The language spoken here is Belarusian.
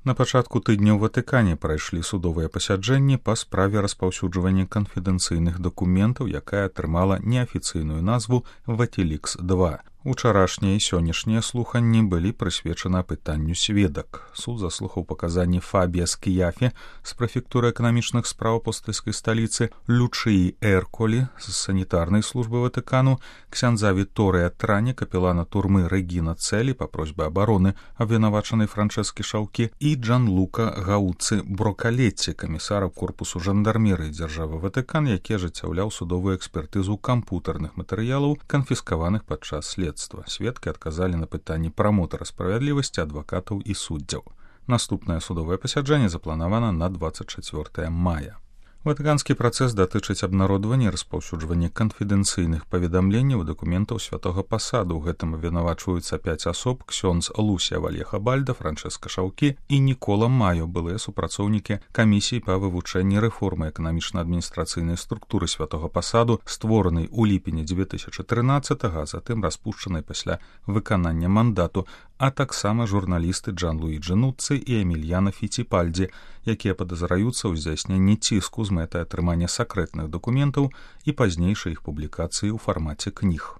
На пачатку тыдня ў Ватыкане прайшлі судовыя пасяджэнні па справе распаўсюджвання канфідэнцыйных дакументаў, якая атрымала неафіцыйную назву «Ватиликс-2». Учарашнія і сённяшнія слуханні былі прысвечаны пытанню сведак. Суд заслухаў паказанні Фабія Скіяфе з прэфектуры эканамічных спраў апостальскай сталіцы, Лючыі Эрколі з санітарнай службы Ватыкану, ксяндза Віторыя Трані, капелана турмы Рэгіна Цэлі па просьбе абароны абвінавачанай Франчэскі Шаўкі і Джанлука Гауцы Брокалетці, камісара корпусу жандармерыі дзяржавы Ватыкан, які ажыццяўляў судовую экспертызу кампутарных матэрыялаў, канфіскаваных падчас следства. Сведкі адказалі на пытанні прамотара справядлівасці, адвакатаў і суддзяў. Наступнае судовае пасяджэнне запланавана на 24 мая. Ватыканскі працэс датычыць абнародвання і распаўсюджвання канфідэнцыйных паведамленняў і дакументаў святога пасаду. У гэтым абвінавачваюцца 5 асоб: ксёндз Лусія Вальеха Бальда, Франчэска Шаўкі і Нікола Маё, былыя супрацоўнікі камісіі па вывучэнні рэформы эканамічна-адміністрацыйнай структуры святога пасаду, створанай у ліпені 2013, а затым распушчанай пасля выканання мандату, а таксама журналісты Джан-Луіджі Нуцци і Эмільяна Фіціпальдзі, якія падазраюцца ў здзяйсненні ціску з мэтай атрымання сакрэтных дакументаў і пазнейшай іх публікацыі ў фармаце кніг.